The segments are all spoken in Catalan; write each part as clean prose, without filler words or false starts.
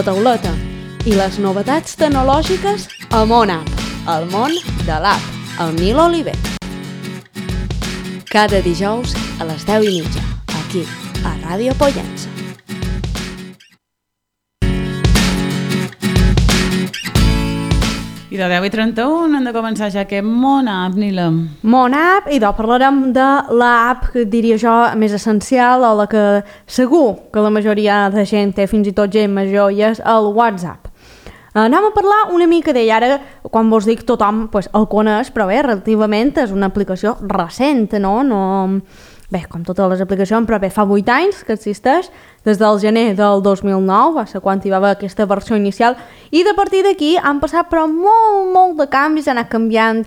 la tauleta i les novetats tecnològiques a MonApp, el món de l'app, amb Nil Oliver. Cada dijous a les 10:30, aquí, a Ràdio Pollença. I de 10:31 hem de començar ja aquest MonApp, Nila. MonApp, i parlarem de l'app que diria jo més essencial, o la que segur que la majoria de gent té, fins i tot gent major, i és el WhatsApp. Anem a parlar una mica d'ell. Ara, quan vos dic tothom el coneix, però bé, relativament és una aplicació recent, no? Bé, com totes les aplicacions, però bé, fa 8 anys que existeix, des del gener del 2009, va ser quan hi va haver aquesta versió inicial, i de partir d'aquí han passat però molt de canvis, han anat canviant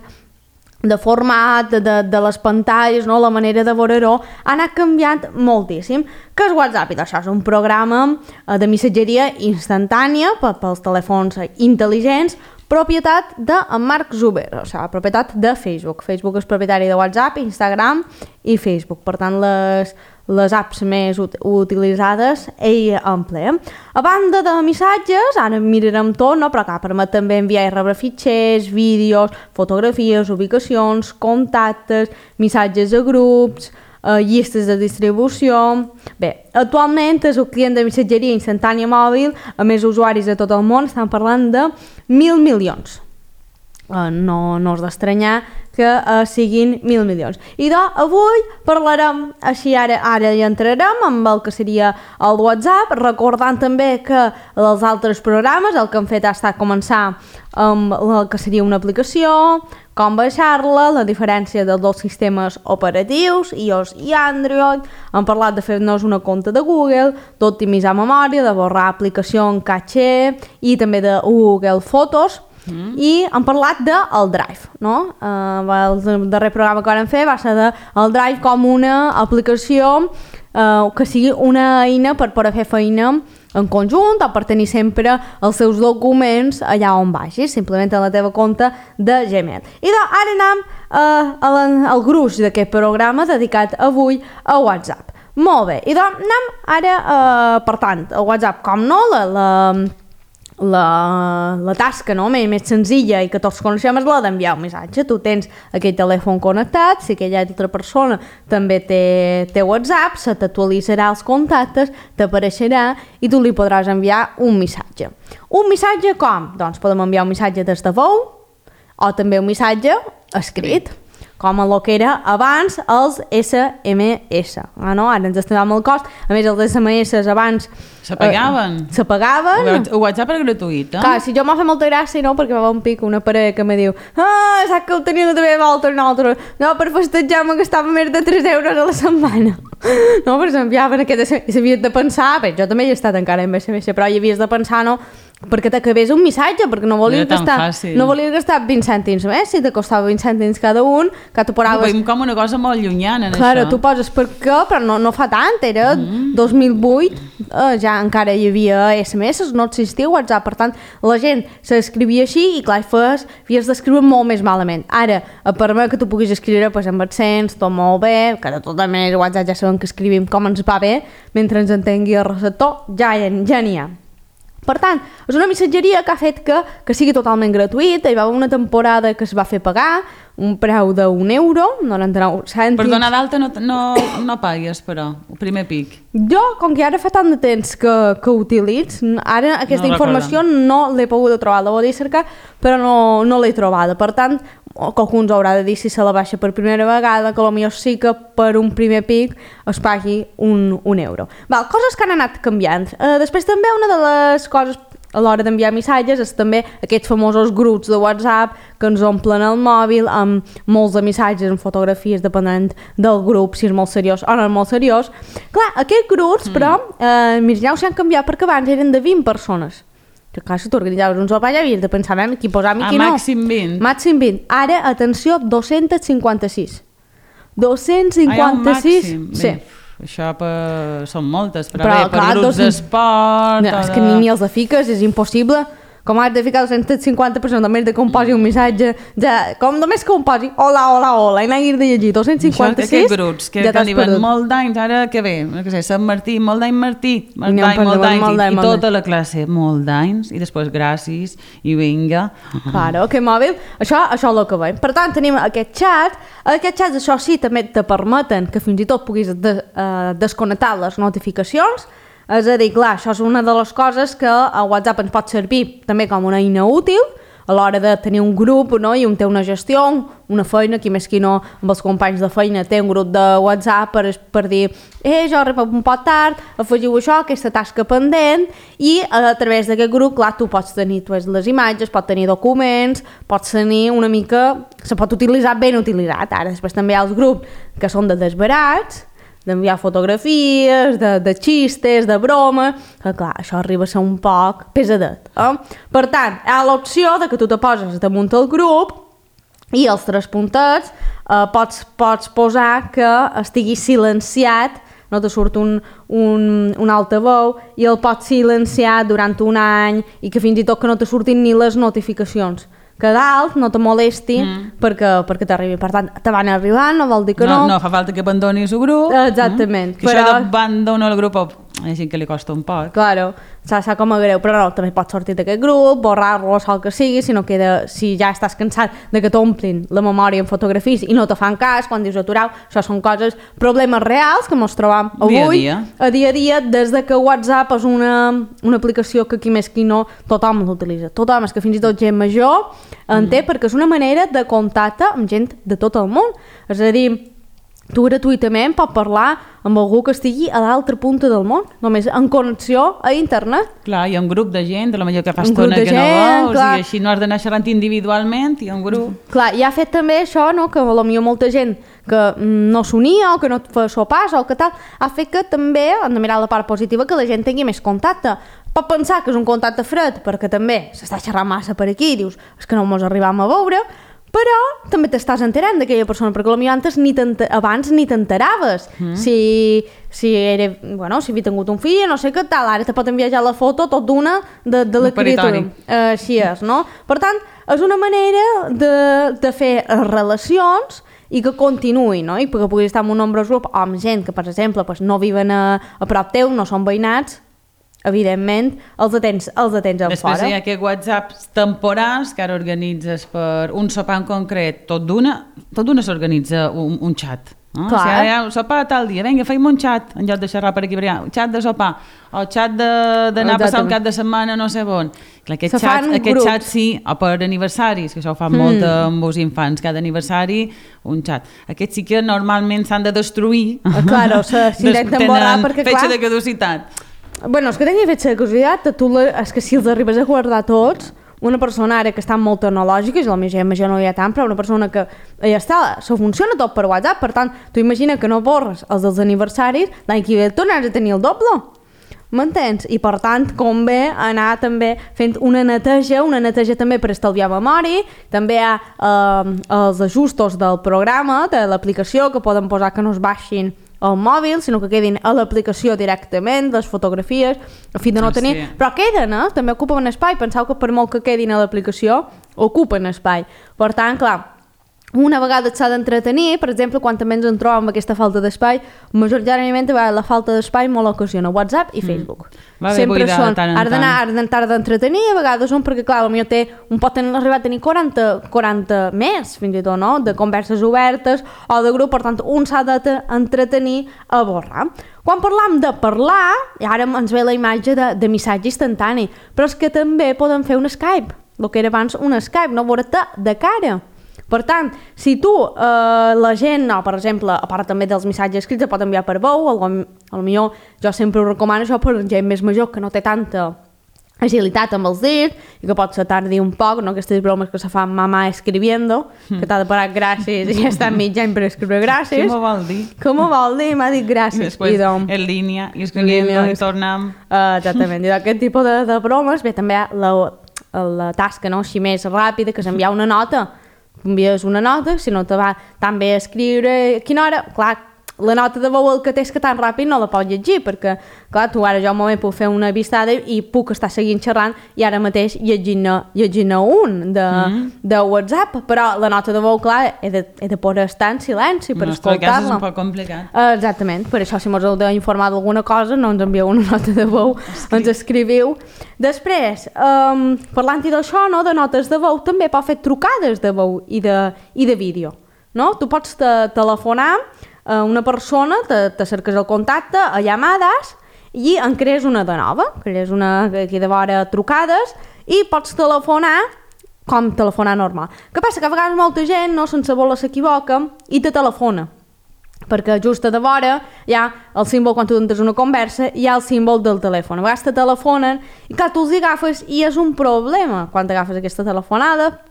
de format, de les pantalles, no? La manera de veure-ho ha anat canviant moltíssim. Què és WhatsApp? I això és un programa de missatgeria instantània pels telèfons intel·ligents, propietat de Mark Zuckerberg, o sigui, propietat de Facebook. Facebook és propietari de WhatsApp, Instagram i Facebook. Per tant, les apps més utilitzades ell emplea. A banda de missatges, ara mirarem tot, no? Però clar, permet també enviar i rebre fitxers, vídeos, fotografies, ubicacions, contactes, missatges a grups, llistes de distribució. Bé, actualment és el client de missatgeria instantània mòbil a més usuaris de tot el món, estan parlant de 1.000 milions. No és d'estranyar que siguin 1.000 milions. I avui parlarem, així ara hi entrarem amb el que seria el WhatsApp, recordant també que els altres programes el que han fet ha estat començar amb el que seria una aplicació, com baixar-la, la diferència dels dos sistemes operatius, iOS i Android. Han parlat de fer-nos una compte de Google, d'optimitzar memòria, de borrar aplicació en caché i també de Google Fotos. I han parlat del Drive, no? El darrer programa que vam fer va ser del Drive com una aplicació que sigui una eina per poder fer feina en conjunt o per tenir sempre els seus documents allà on vagis, simplement a la teva compte de Gmail. I ara anem al gruix d'aquest programa dedicat avui a WhatsApp. Molt bé, i anem ara, per tant, el WhatsApp, com no, la tasca, no? més senzilla i que tots coneixem és la d'enviar un missatge. Tu tens aquell telèfon connectat, si aquella altra persona també té WhatsApp, se t'actualitzarà els contactes, t'apareixerà i tu li podràs enviar un missatge. Un missatge com? Doncs podem enviar un missatge des de veu o també un missatge escrit, com el que era abans els SMS. No? Ara ens estem amb el cost. A més, els SMS abans s'apagaven. El WhatsApp era gratuït, eh? Clar, si jo m'ha fet molta gràcia, no? Perquè va un pic una parella que me diu saps que ho tenia de també volta un altre. No, per festejar me gastava més de 3 euros a la setmana. No, però s'enviaven aquest SMS i s'havies de pensar, bé, jo també hi he estat encara en SMS, però hi havies de pensar, no? Perquè t'acabés un missatge, perquè no volies gastar 20 cèntims més, si te costava 20 cèntims cada un, que tu paraves... Ho veiem com una cosa molt llunyana, això. Clar, tu poses per què, però no fa tant, era 2008, ja encara hi havia SMS, no existia WhatsApp, per tant, la gent s'escrivia així i clar, havies d'escriure molt més malament. Ara, per mi que tu puguis escriure amb accents, tot molt bé, que de tota manera WhatsApp ja sabem que escrivim com ens va bé, mentre ens entengui el receptor, ja n'hi ha. Per tant, és una missatgeria que ha fet que sigui totalment gratuïta. Hi va haver una temporada que es va fer pagar un preu d'€1, 99 cèntims. Per donar d'alta no pagues, però, el primer pic. Jo, com que ara fa tant de temps que utilitzo, ara aquesta informació no l'he pogut trobar. La volia cercar, però no l'he trobada. Per tant, qualcú ens haurà de dir si se la baixa per primera vegada, que potser sí que per un primer pic es pagui €1. Coses que han anat canviant. Després també una de les coses a l'hora d'enviar missatges és també aquests famosos grups de WhatsApp que ens omplen el mòbil amb molts de missatges, amb fotografies, depenent del grup, si és molt seriós o no és molt seriós. Clar, aquests grups, però, ja s'han canviat perquè abans eren de 20 persones. Que clar, si t'organitzaves un sopar ja havies de pensar qui posar i qui no. Màxim 20. Màxim 20. Ara, atenció, 256. 256. Sí. Això són moltes, però bé, per grups d'esport... És que ni els de fiques, és impossible com has de ficar 250 persones, només de que em posi un missatge, ja, com només que em posi hola, hola, hola, i n'hagis de llegir 256, aquests grups que ja t'has diuen perdut. molt d'anys, ara que ve, no sé, Sant Martí, molt d'any Martí, molt d'anys, i tota la classe, molt d'anys, i després gràcies, i vinga. Claro, que mòbil, això és el que veiem. Per tant, tenim aquest xat, aquests xats, això sí, també te permeten que fins i tot puguis desconnectar les notificacions. És a dir, clar, això és una de les coses que a WhatsApp ens pot servir també com una eina útil a l'hora de tenir un grup, no? I un té una gestió, una feina, qui més qui no, amb els companys de feina té un grup de WhatsApp per dir jo arribo un poc tard, afegiu això, aquesta tasca pendent, i a través d'aquest grup, clar, tu pots tenir les imatges, pots tenir documents, pots tenir una mica... Se pot utilitzar ben utilitzat. Ara, després també hi ha els grups que són de desbarats, d'enviar fotografies, de xistes, de broma, que clar, això arriba a ser un poc pesadet. Per tant, hi ha l'opció de que tu te poses damunt el grup i els 3 puntets pots posar que estigui silenciat, no te surt un altaveu i el pots silenciar durant un any i que fins i tot que no te surtin ni les notificacions. Que dalt no te molesti perquè t'arribi. Per tant, te van arribant, no vol dir que no. No fa falta que abandonis el grup. Exactament. Que això d'abandonar el grup hi ha gent que li costa un poc. Claro, s'ha com a greu, però no, també pots sortir d'aquest grup, borrar-lo, el que sigui, si ja estàs cansat de que t'omplin la memòria en fotografies i no te fan cas, quan dius aturau, això són coses, problemes reals que ens trobam avui, a dia a dia, des de que WhatsApp és una aplicació que qui més qui no, tothom l'utilitza. Tothom, és que fins i tot gent major en té, perquè és una manera de contacte amb gent de tot el món. És a dir, tu gratuïtament pots parlar amb algú que estigui a l'altra punta del món, només en connexió a internet. Clar, hi ha un grup de gent, la millor que fa estona que no vols, i així no has d'anar xerrant individualment, hi ha un grup. Clar, i ha fet també això, no?, que potser molta gent que no s'unia o que no et fa sopars o que tal, ha fet que també, hem de mirar la part positiva, que la gent tingui més contacte. Pot pensar que és un contacte fred, perquè també s'està xerrant massa per aquí, dius, és que no mos arribam a veure, però també t'estàs enterant d'aquella persona, perquè potser abans ni t'enteraves si havia tingut un fill, no sé què tal, ara te pot enviar ja la foto tot d'una de la criatura. Així és, no? Per tant, és una manera de fer relacions i que continuï, no? I perquè puguis estar en un nombrós grup o amb gent que, per exemple, no viven a prop teu, no són veïnats, evidentment, els atens en fora. Després hi ha aquests whatsapps temporals que ara organitzes per un sopar en concret. Tot d'una s'organitza un xat. No? Si ara hi ha un sopar tal dia, vinga, feim un xat, en lloc de xerrar per aquí, un xat de sopar, o xat d'anar a passar un cap de setmana no sé on. Clar, aquest xat sí, o per aniversaris, que això ho fan molt amb els infants, cada aniversari un xat. Aquests sí que normalment s'han de destruir. Claro, s'intenten borrar perquè, clar... Fetge de caducitat. Bueno, és que tenia fetge de curiositat, és que si els arribes a guardar tots, una persona ara que està molt tecnològica, i la meva gent no hi ha tant, però una persona que ja està, se funciona tot per WhatsApp, per tant, tu imagina que no borres els dels aniversaris, l'any que ve tornaràs a tenir el doble. M'entens? I per tant convé anar també fent una neteja també per estalviar memòria, també hi ha els ajustos del programa, de l'aplicació, que poden posar que no es baixin al mòbil, sinó que quedin a l'aplicació directament, les fotografies, a fi de no tenir... Sí. Però queden, també ocupen espai. Penseu que per molt que quedin a l'aplicació, ocupen espai. Per tant, clar, una vegada s'ha d'entretenir, per exemple, quan també ens en trobem amb aquesta falta d'espai, majoritàriament la falta d'espai molt ocasiona WhatsApp i Facebook. Sempre són, has d'entretenir, a vegades són perquè, clar, potser un pot arribar a tenir 40 més, fins i tot, no?, de converses obertes o de grup, per tant, un s'ha d'entretenir a borrar. Quan parlam de parlar, i ara ens ve la imatge de missatge instantani, però és que també podem fer un Skype, el que era abans un Skype, no veure-te de cara. Per tant, si tu, la gent, per exemple, a part també dels missatges escrits, pot enviar per veu, potser jo sempre ho recomano això per gent més major que no té tanta agilitat amb els dits i que pot se tardi un poc, no? Aquestes bromes que se fan mamà escribiendo, que t'ha de parar gràcies i ja està mig any per escriure gràcies. Què m'ho vol dir? Què m'ho vol dir? M'ha dit gràcies. I després en línia, i escriviendo, i tornem... Exactament, i aquest tipus de bromes, bé, també hi ha la tasca, no?, així més ràpida, que és enviar una nota. Envies una nota, si no te va tan bé escriure a quina hora, clar, la nota de veu el que té és que tan ràpid no la pots llegir, perquè, clar, tu ara jo un moment puc fer una vistada i puc estar seguint xerrant i ara mateix llegint un de WhatsApp, però la nota de veu, clar, he de poder estar en silenci per escoltar-la. En el cas és un poc complicat. Exactament, per això si mos heu d'informar d'alguna cosa no ens envieu una nota de veu, ens escriviu. Després, parlant-hi d'això, no, de notes de veu, també pot fer trucades de veu i de vídeo. No? Tu pots telefonar a una persona, te cerques el contacte a llamades i en crees una de nova, crees una aquí de vora trucades i pots telefonar com telefonar normal. Què passa? Que a vegades molta gent, no, sense voler s'equivoca i te telefona, perquè just a de vora hi ha el símbol, quan tu entres una conversa, hi ha el símbol del telèfon. A vegades te telefonen i clar, tu els agafes i és un problema quan t'agafes aquesta telefonada,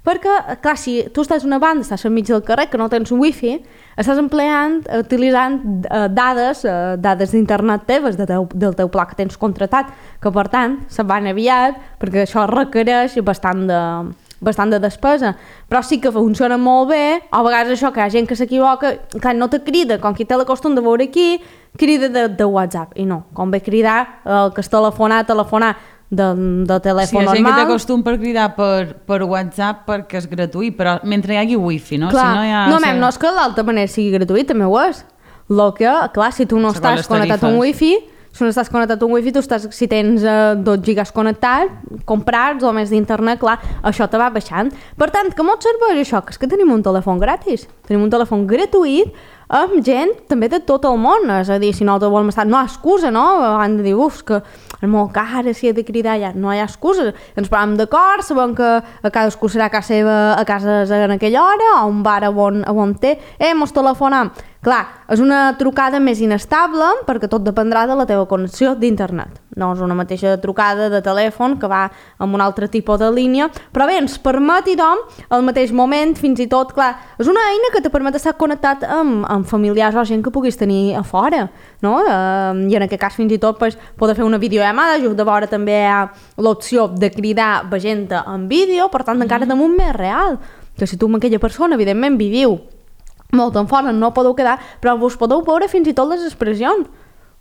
perquè, clar, si tu estàs a una banda, estàs enmig del carrer, que no tens wifi, estàs utilitzant dades d'internet teves, del teu pla que tens contratat, que per tant se'n van aviat, perquè això requereix bastant de despesa, però sí que funciona molt bé. A vegades això, que hi ha gent que s'equivoca, clar, no te crida, com qui té la costum de veure aquí, crida de WhatsApp, i no, com ve cridar el que és telefonar de telèfon normal. Sí, hi ha gent que té costum per cridar per WhatsApp perquè és gratuït, però mentre hi hagi wifi, no? Clar, si no és que d'altra manera sigui gratuït, també ho és. Clar, si tu no estàs connectat a un wifi, tu estàs, si tens 2 gigas connectats, comprats o més d'internet, clar, això te va baixant. Per tant, que molt serveix això, que és que tenim un telèfon gratis, tenim un telèfon gratuït amb gent també de tot el món, és a dir, si no te volem estar, no hi ha excusa, no? Han de dir, que és molt car, si he de cridar ja, no hi ha excusa, ens posem d'acord, sabem que a cadascú serà a casa seva, a casa en aquella hora, o a un bar on té, mos telefonem. Clar, és una trucada més inestable perquè tot dependrà de la teva connexió d'internet. No és una mateixa trucada de telèfon que va amb un altre tipus de línia, però bé, ens permet, al mateix moment, fins i tot, clar, és una eina que te permet estar connectat amb familiars o gent que puguis tenir a fora, no? I en aquest cas, fins i tot, poder fer una videollamada, just de vora també hi ha l'opció de cridar gent en vídeo, per tant, encara damunt més real, que si tu amb aquella persona, evidentment, viviu molt en fora, no podeu quedar, però vos podeu veure fins i tot les expressions.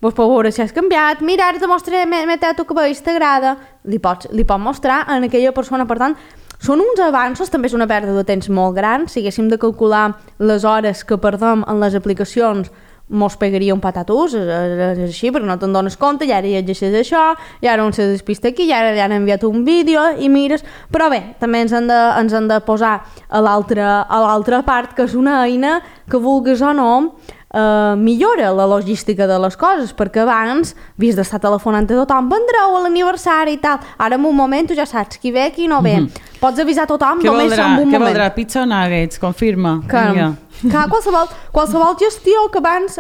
Vos podeu veure si has canviat, mira, ara te mostraré, m'he tallat el cabell, t'agrada, li pots mostrar a aquella persona. Per tant, són uns avanços, també és una pèrdua de temps molt gran. Si haguéssim de calcular les hores que perdem en les aplicacions, mos pegaria un patatús, és així, perquè no te'n dones compte, i ara llegeixes això, i ara un se despista aquí, i ara li han enviat un vídeo, i mires, però bé, també ens han de posar a l'altra part, que és una eina que vulguis o no, millora la logística de les coses, perquè abans havies d'estar telefonant a tothom, vendreu a l'aniversari i tal, ara en un moment tu ja saps qui ve, qui no ve, pots avisar tothom només en un moment. Què voldrà? Pizza o nuggets? Confirma. Qualsevol gestió que abans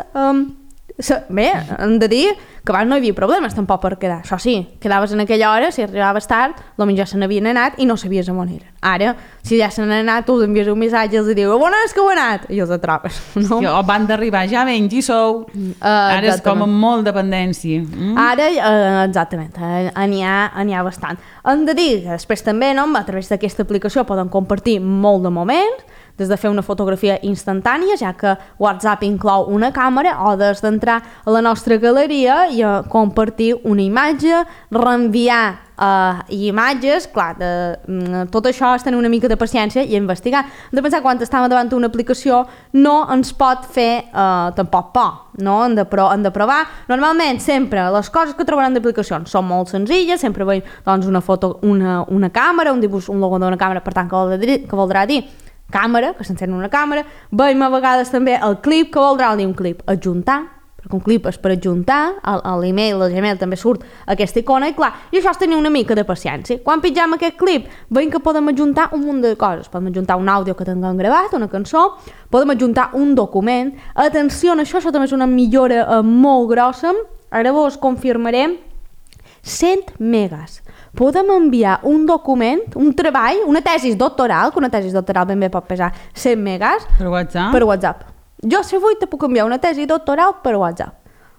bé, hem de dir que abans no hi havia problemes tampoc per quedar. Això sí, quedaves en aquella hora, si arribaves tard, potser ja se n'havien anat i no sabies on eren. Ara, si ja se n'han anat, tu els envies un missatge i els dius, on és que heu anat? I els atrapes, no? O van d'arribar, ja venc, hi sou. Ara és com amb molt dependència. Ara, exactament, n'hi ha bastant. Hem de dir que després també, no, a través d'aquesta aplicació poden compartir molt de moments, des de fer una fotografia instantània, ja que WhatsApp inclou una càmera, o des d'entrar a la nostra galeria i compartir una imatge, reenviar imatges, clar, tot això és tenir una mica de paciència i investigar. Hem de pensar que quan estem davant d'una aplicació no ens pot fer tampoc por, no? Hem de provar. Normalment sempre les coses que trobaran d'aplicacions són molt senzilles, sempre veiem doncs, una foto, una càmera, un dibuix, un logo d'una càmera, per tant que voldrà dir càmera, que s'encén una càmera. Veiem a vegades també el clip, que voldrà dir un clip adjuntar, perquè un clip és per adjuntar, a l'email, al Gmail també surt aquesta icona, i clar, i això és tenir una mica de paciència. Quan pitjam aquest clip, veiem que podem adjuntar un munt de coses. Podem adjuntar un àudio que tinguem gravat, una cançó, podem adjuntar un document. Atenció a això també és una millora molt grossa. Ara vos confirmaré 100 megas. Podem enviar un document, un treball, una tesi doctoral, que una tesi doctoral ben bé pot pesar 100 megas. Per WhatsApp? Per WhatsApp. Jo, si vull, te puc enviar una tesi doctoral per WhatsApp.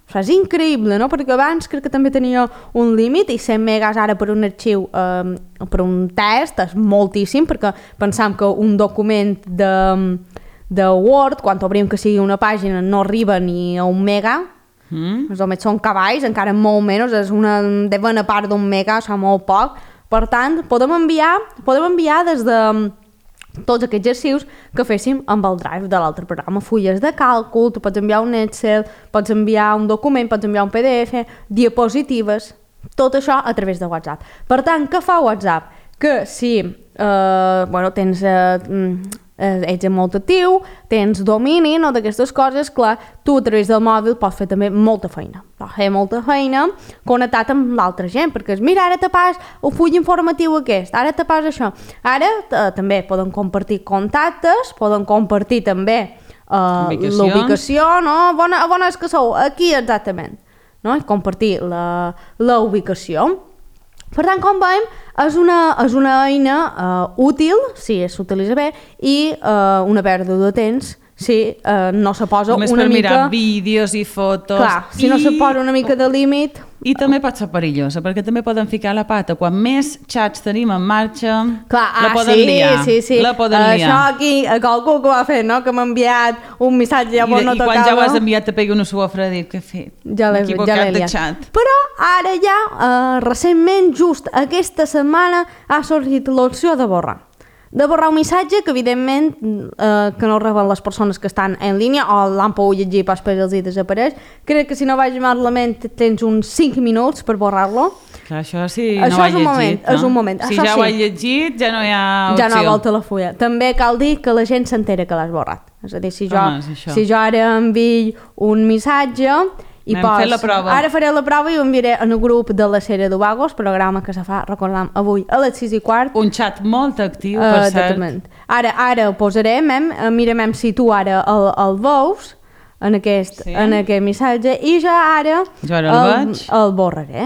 Això és increïble, no? Perquè abans crec que també tenia un límit, i 100 megas ara per un arxiu, per un test, és moltíssim, perquè pensam que un document de Word, quan obrim que sigui una pàgina no arriba ni a 1 mega, només són cavalls, encara molt menys, és una devena part d'1 mega, això molt poc. Per tant, podem enviar des de tots aquests arxius que féssim amb el Drive de l'altre programa, fulles de càlcul, tu pots enviar un Excel, pots enviar un document, pots enviar un PDF, diapositives, tot això a través de WhatsApp. Per tant, què fa WhatsApp? Que si tens... ets molt actiu, tens domini, no, d'aquestes coses, clar, tu a través del mòbil pots fer també molta feina. Pots fer molta feina connectat amb l'altra gent, perquè mira, ara te pas un full informatiu aquest, ara te pas això. Ara també poden compartir contactes, poden compartir també l'ubicació, no? On és que sou? Aquí exactament. No? Compartir la ubicació. Per tant, com veiem, és una eina útil si s'utilitza bé i una pèrdua de temps si no se posa només una mica... Només per mirar vídeos i fotos... Clar, si no se posa una mica de límit... I també pot ser perillosa, perquè també poden ficar la pata. Quan més xats tenim en marxa, la poden liar. Sí. La poden liar. Això aquí, qualcú que ho ha fet, no? Que m'ha enviat un missatge i llavors no tocava... I quan ja ho has enviat te pegui una sofre a dir, què he fet? Ja l'he liat. Però ara ja, recentment, just aquesta setmana, ha sortit l'opció de borrar. De borrar un missatge que evidentment que no reben les persones que estan en línia o l'han pogut llegir pas per els hi desapareix. Crec que si no vaig malament tens uns 5 minuts per borrar-lo. Clar, això sí, no ho he llegit. És un moment. Si ja ho he llegit ja no hi ha opció. Ja no volta la fulla. També cal dir que la gent s'entera que l'has borrat. És a dir, si jo ara envio un missatge i ara faré la prova i ho enviaré en el grup de la sèrie d'Ovagos, programa que se fa, recordam, avui a les 6:15. Un xat molt actiu, per cert. Ara ho posarem, mirem si tu ara el veus en aquest missatge i ja ara el borraré.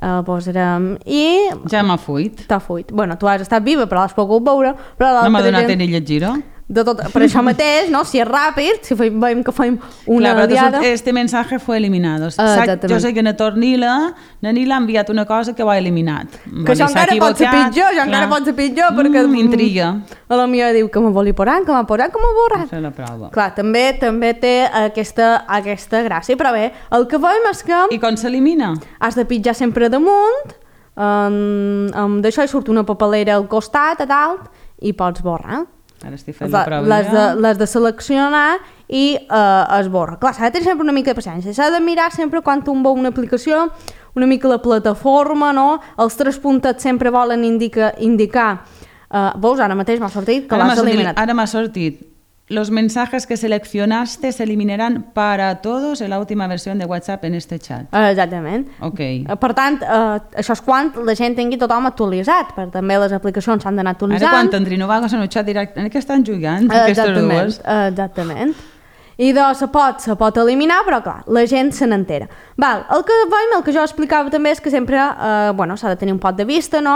El posarem i... Ja m'ha fuit. T'ha fuit. Bueno, tu has estat viva, però l'has pogut veure. No m'ha donat ni llegir-ho. Per això mateix, no? Si és ràpid, si veiem que fem una diada... Este mensaje fue eliminado. Jo sé que na Tornila ha enviat una cosa que ho ha eliminat. Que això encara pot ser pitjor, perquè... M'intriga. A la millor diu que me vol posar, que m'ha posat, que m'ha borrat. Fer la prova. Clar, també té aquesta gràcia, però bé, el que veiem és que... I com s'elimina? Has de pitjar sempre damunt, d'això hi surt una papelera al costat, a dalt, i pots borrar. Ara estic fent la prova les de seleccionar i es borra. Clar, s'ha de tenir sempre una mica de paciència. S'ha de mirar sempre quan tu veu una aplicació, una mica la plataforma, no? Els 3 puntets sempre volen indicar. Veus, ara mateix m'ha sortit que l'has eliminat. Ara m'ha sortit. Los mensajes que seleccionaste se eliminarán para todos en la última versión de WhatsApp en este chat. Exactament. Ok. Per tant, això és quan la gent tingui tothom actualitzat, perquè també les aplicacions s'han d'anar actualitzant. Ara quan tindrien Ovagos en el xat directe, en què estan jugant aquestes dues? Exactament. I doncs se pot eliminar, però clar, la gent se n'entera. El que jo explicava també és que sempre s'ha de tenir un pot de vista, no?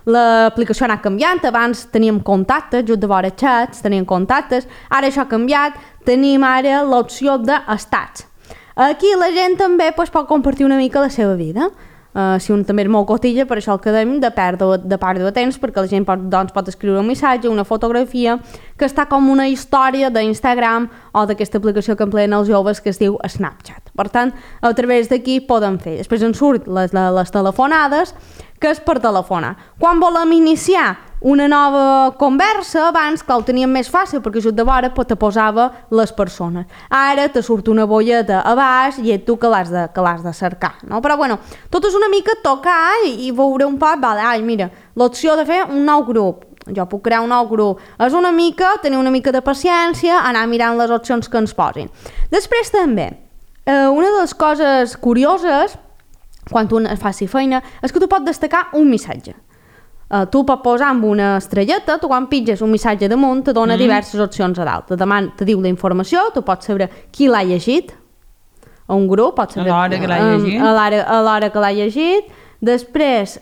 L'aplicació ha anat canviant, abans teníem contactes, just de vora xats, teníem contactes, ara això ha canviat, tenim ara l'opció d'estats. Aquí la gent també pot compartir una mica la seva vida. Si un també és molt cotilla, per això el que dèiem de pèrdua de temps, perquè la gent pot escriure un missatge, una fotografia, que està com una història d'Instagram o d'aquesta aplicació que empleen els joves que es diu Snapchat. Per tant, a través d'aquí poden fer. Després en surt les telefonades, que és per telefonar. Quan volem iniciar una nova conversa, abans, clar, ho teníem més fàcil, perquè just de vora te posava les persones. Ara te surt una bolleta a baix i ets tu que l'has de cercar, no? Però bueno, tot és una mica tocar i veure un poc, mira, l'opció de fer un nou grup. Jo puc crear un nou grup. És una mica, tenir una mica de paciència, anar mirant les opcions que ens posin. Després també, una de les coses curioses, quan tu faci feina, és que tu pots destacar un missatge. Tu pots posar amb una estrelleta, tu quan pitges un missatge damunt te dona diverses opcions a dalt. Te diu la informació, tu pots saber qui l'ha llegit, a un grup, pots saber a l'hora que l'ha llegit. A l'hora que l'ha llegit. Després,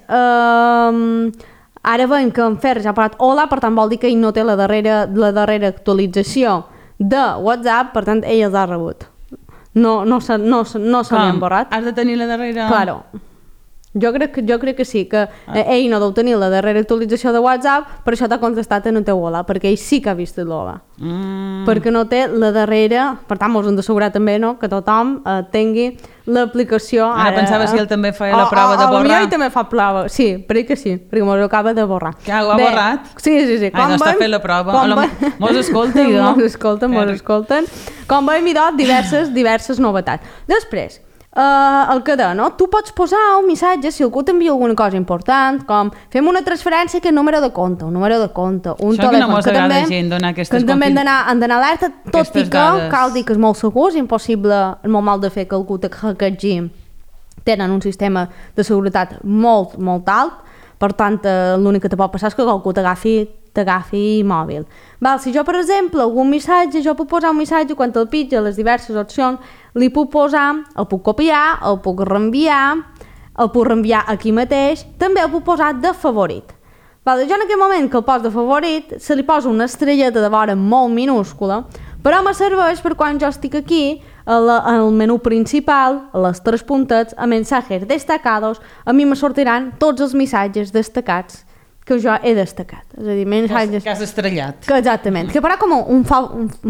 ara veiem que en Fer ja ha parat hola, per tant vol dir que ell no té la darrera actualització de WhatsApp, per tant ell els ha rebut. No se l'han borrat. Has de tenir la darrera... Claro. Jo crec que sí, que ell no deu tenir la darrera actualització de WhatsApp, per això t'ha contestat en el teu hola, perquè ell sí que ha vist l'hola. Perquè no té la darrera, per tant, mos hem d'assegurar també, no?, que tothom tingui l'aplicació. Ara pensava si ell també feia la prova de borrar. Potser ell també fa prova, sí, crec que sí, perquè mos acaba de borrar. Que ho ha borrat? Sí. Ai, no està fent la prova. Mos escolta, idò. Mos escolten. Com veiem, idò, diverses novetats. Després, el que deia, no? Tu pots posar un missatge si algú t'envia alguna cosa important, com fem una transferència que és número de compte, un això telèfon, que no mos agrada gent donar aquestes que també han d'anar alerta, tot i que cal dir que és molt segur, és impossible, és molt mal de fer que algú te hackegi. Tenen un sistema de seguretat molt, molt alt, per tant, l'únic que te pot passar és que algú t'agafi mòbil. Si jo, per exemple, algun missatge, jo puc posar un missatge quan te'l pitja les diverses opcions, li puc posar, el puc copiar, el puc reenviar aquí mateix, també el puc posar de favorit. Jo en aquell moment que el poso de favorit, se li posa una estrelleta de vora molt minúscula, però me serveix per quan jo estic aquí, al menú principal, a les 3 puntets, a mensajes destacados, a mi me sortiran tots els missatges destacats que jo he destacat. És a dir, missatges... Que has estrellat. Exactament. Que farà com un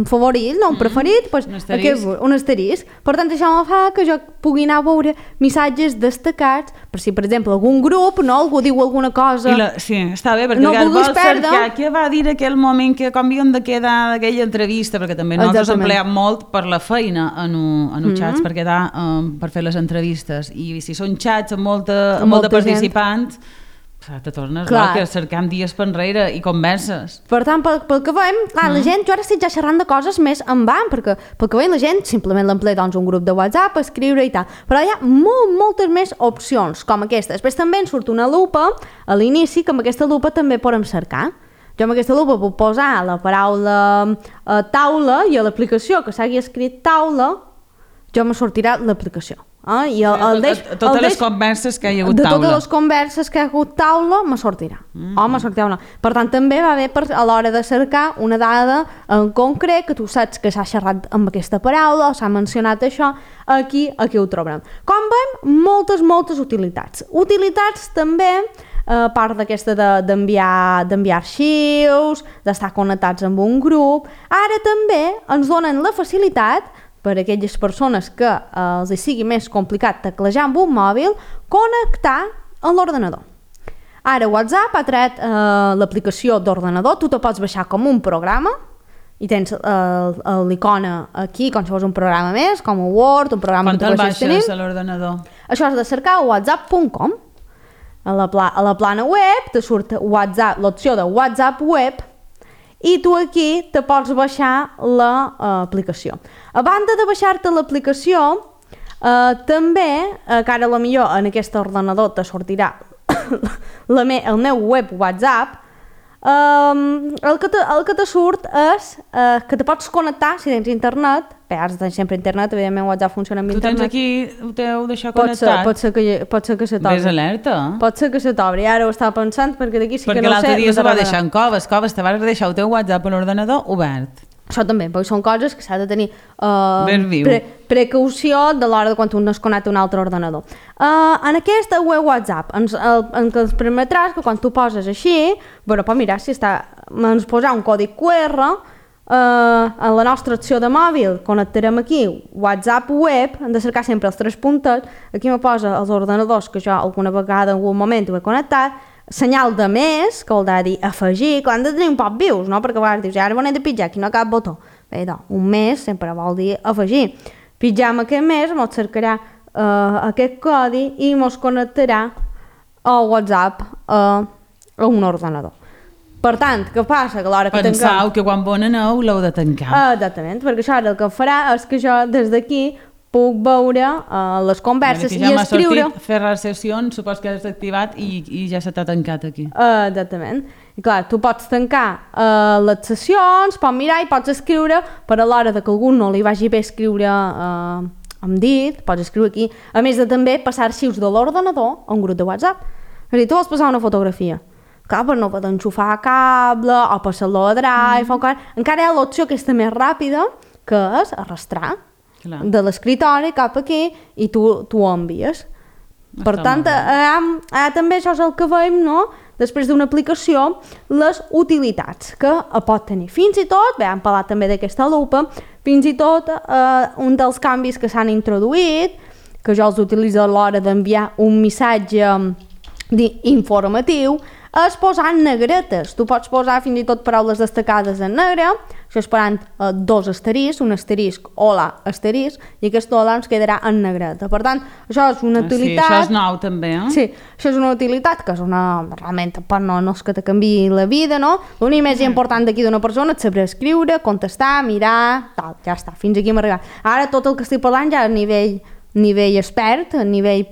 favorit, no un preferit, un asterisc. Per tant, això me fa que jo pugui anar a veure missatges destacats, per si, per exemple, algun grup, no, algú diu alguna cosa... Sí, està bé, perquè no vols cercar què va dir aquell moment que com havíem de quedar d'aquella entrevista, perquè també nosaltres empleem molt per la feina en xats per quedar, per fer les entrevistes. I si són xats amb molta participants... Te tornes loca cercant dies per enrere i converses. Per tant, pel que veiem, la gent, jo ara estic ja xerrant de coses més en van, perquè pel que veiem la gent simplement l'emplea un grup de WhatsApp, escriure i tal. Però hi ha moltes més opcions com aquesta. Després també ens surt una lupa a l'inici, que amb aquesta lupa també podem cercar. Jo amb aquesta lupa puc posar la paraula taula i a l'aplicació que s'hagi escrit taula, jo me sortirà l'aplicació. Totes les converses que hi ha hagut taula. De totes les converses que hi ha hagut taula me sortirà. Me sortirà una. Per tant, també va bé a l'hora de cercar una dada en concret que tu saps que s'ha xerrat amb aquesta paraula o s'ha mencionat això, aquí ho trobarem. Com veiem, moltes utilitats. Utilitats també, a part d'aquesta d'enviar arxius, d'estar connectats amb un grup, ara també ens donen la facilitat per a aquelles persones que els sigui més complicat teclejar amb un mòbil, connectar a l'ordenador. Ara WhatsApp ha tret l'aplicació d'ordenador, tu te pots baixar com un programa i tens l'icona aquí, com si fos un programa més, com un Word, un programa que tu baixes tenir. A l'ordenador? Això has de cercar a whatsapp.com. A la plana web te surt l'opció de WhatsApp web i tu aquí te pots baixar l'aplicació. A banda de baixar-te l'aplicació, també, que ara potser en aquest ordenador te sortirà el meu web WhatsApp, el que te surt és que te pots connectar si tens internet. Bé, has de tenir sempre internet, evidentment WhatsApp funciona amb internet. Tu tens aquí, ho teu d'això connectat? Pot ser que se t'obri. Ves alerta. Pot ser que se t'obri, ara ho estava pensant, perquè d'aquí sí que no sé... Perquè l'altre dia se va deixar en coves, te vas deixar el teu WhatsApp a l'ordenador obert. Això també, perquè són coses que s'ha de tenir precaució de l'hora de quan un es connecta a un altre ordenador. En aquesta web WhatsApp ens permetràs que quan tu poses així, mirar si ens posar un codi QR, en la nostra opció de mòbil connectarem aquí WhatsApp web, hem de cercar sempre els 3 puntets, aquí me posa els ordenadors que jo alguna vegada en algun moment ho he connectat, senyal de més, que vol dir afegir, que han de tenir un poc vius, no? Perquè a vegades dius, ara ho hem de pitjar, aquí no cap botó. Bé, un més sempre vol dir afegir. Pitjam aquest més, ens cercarà aquest codi i ens connectarà al WhatsApp a un ordenador. Per tant, què passa? Que a l'hora que tanquem... Pensau que quan bon aneu l'heu de tancar. Exactament, perquè això el que farà és que jo des d'aquí puc veure les converses i escriure... Ja m'ha sortit fer les sessions, supos que has activat i ja se t'ha tancat aquí. Exactament. I clar, tu pots tancar les sessions, pots mirar i pots escriure, per a l'hora que algú no li vagi bé escriure amb dit, pots escriure aquí. A més de també passar arxius de l'ordenador a un grup de WhatsApp. És a dir, tu vols passar una fotografia. Clar, per no poder enxufar cable o passar-lo a Drive, encara hi ha l'opció aquesta més ràpida, que és arrastrar de l'escriptori cap aquí i tu ho envies. Per tant, també això és el que veiem, no? Després d'una aplicació, les utilitats que pot tenir. Fins i tot, hem parlat també d'aquesta lupa, fins i tot un dels canvis que s'han introduït, que jo els utilitzo a l'hora d'enviar un missatge informatiu, és posar negretes. Tu pots posar fins i tot paraules destacades en negre, això esperant dos asteriscs, un asterisc, hola, asterisc, i aquest hola ens quedarà en negreta. Per tant, això és una utilitat... Sí, això és nou també, eh? Sí, això és una utilitat que és realment, no és que te canviï la vida, no? L'únic més important d'aquí d'una persona és saber escriure, contestar, mirar, tal, ja està, fins aquí hem arribat. Ara tot el que estic parlant ja a nivell expert, a nivell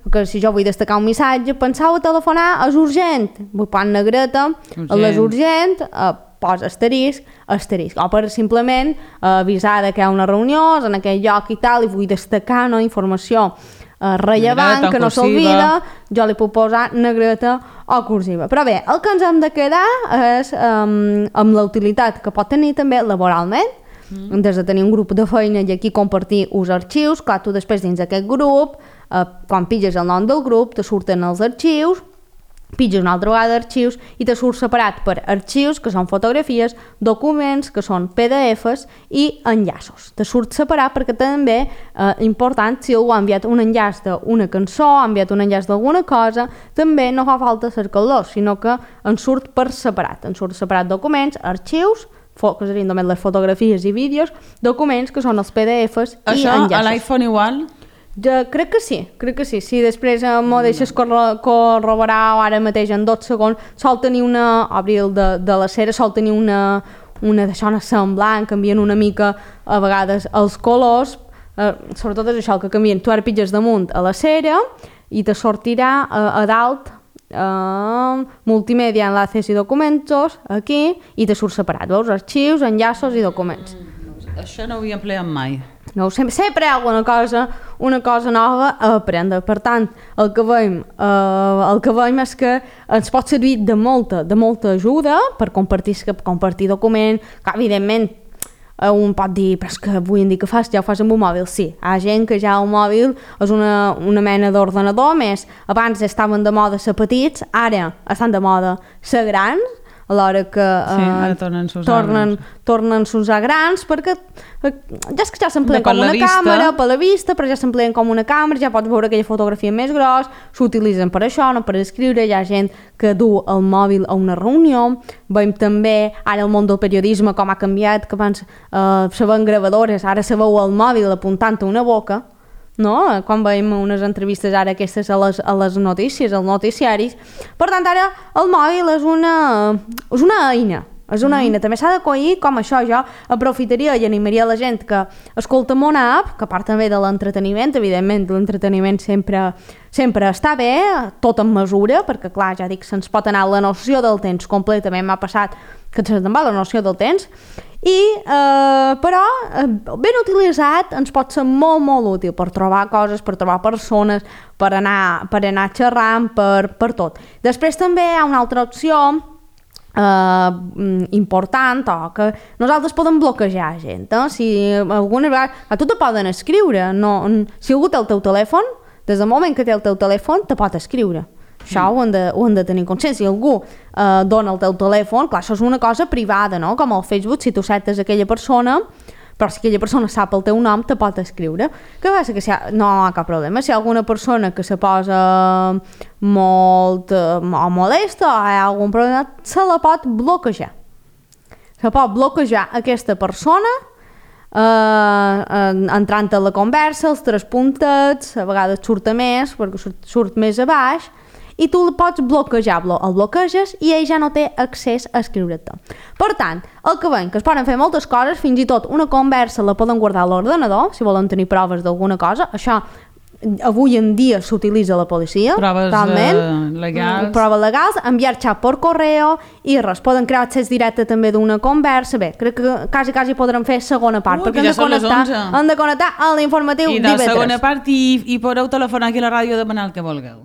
que si jo vull destacar un missatge, pensau a telefonar, és urgent, vull posar negreta, és urgent, posa asterisc, o per simplement avisar que hi ha una reunió en aquell lloc i tal, i vull destacar informació rellevant, que no s'olvida, jo li puc posar negreta o cursiva. Però bé, el que ens hem de quedar és amb la utilitat que pot tenir també laboralment, des de tenir un grup de feina i aquí compartir uns arxius. Clar, tu després dins d'aquest grup, quan pitges el nom del grup, te surten els arxius, pitges una altra vegada arxius i te surt separat per arxius, que són fotografies, documents, que són PDFs, i enllaços. Te surt separat perquè també, important, si algú ha enviat un enllaç d'una cançó, ha enviat un enllaç d'alguna cosa, també no fa falta cercar-los, sinó que en surt per separat. En surt separat documents, arxius, que serien només les fotografies i vídeos, documents que són els PDFs i enllaços. Això a l'iPhone igual? Crec que sí. Si després m'ho deixes corroborar ara mateix en 2 segons, sol tenir Abril de la Cera, sol tenir una d'això semblant, canvien una mica a vegades els colors, sobretot és això el que canvien. Tu ara pitges damunt a la Cera i te sortirà a dalt multimèdia, enlaces i documentos, aquí, i te surt separat, veus? Arxius, enllaços i documents. Això no ho havia empleat mai. No, sempre hi ha alguna cosa nova a aprendre. Per tant, el que veiem és que ens pot servir de molta ajuda per compartir document, que evidentment un pot dir, però és que avui en dia ja ho fas amb un mòbil. Sí, hi ha gent que ja el mòbil és una mena d'ordenador més. Abans estaven de moda ser petits, ara estan de moda ser grans, a l'hora que tornen a usar grans, perquè ja s'empleen com una càmera, per la vista, però ja s'empleen com una càmera, ja pots veure aquella fotografia més gros, s'utilitzen per això, no per escriure. Hi ha gent que du el mòbil a una reunió. Veiem també ara el món del periodisme com ha canviat, que abans se veien gravadores, ara se veu el mòbil apuntant a una boca, no? Quan veiem unes entrevistes ara aquestes a les notícies, als noticiaris. Per tant, ara el mòbil és una eina. És una eina. També s'ha d'acollir com això. Jo aprofitaria i animaria la gent que escolta una app, que a part també de l'entreteniment, evidentment l'entreteniment sempre està bé, tot en mesura, perquè clar, ja dic, se'ns pot anar la noció del temps completament. M'ha passat que se'n va la noció del temps, però ben utilitzat ens pot ser molt útil per trobar coses, per trobar persones, per anar xerrant, per tot. Després també hi ha una altra opció important, que nosaltres podem bloquejar gent, si alguna vegada a tu te poden escriure, si algú té el teu telèfon, des del moment que té el teu telèfon te pot escriure. Això ho hem de tenir consciència. Si algú dona el teu telèfon, clar, això és una cosa privada, no? Com al Facebook, si tu certes aquella persona, però si aquella persona sap el teu nom, te pot escriure. Què passa? Que no hi ha cap problema. Si hi ha alguna persona que se posa molt molesta o hi ha algun problema, se la pot bloquejar. Se pot bloquejar aquesta persona entrant a la conversa, els 3 puntets, a vegades surt a més, perquè surt més a baix, i tu el pots bloquejar, el bloqueges i ell ja no té accés a escriure-te. Per tant, el que veiem que es poden fer moltes coses, fins i tot una conversa la poden guardar a l'ordenador, si volen tenir proves d'alguna cosa. Això avui en dia s'utilitza a la policia. Proves legals. Proves legals, enviar xat per correu i res, poden crear accés directe també d'una conversa. Bé, crec que quasi podrem fer segona part, perquè hem de connectar a l'informatiu d'IV3. I de segona part i podeu telefonar aquí a la ràdio a demanar el que vulgueu.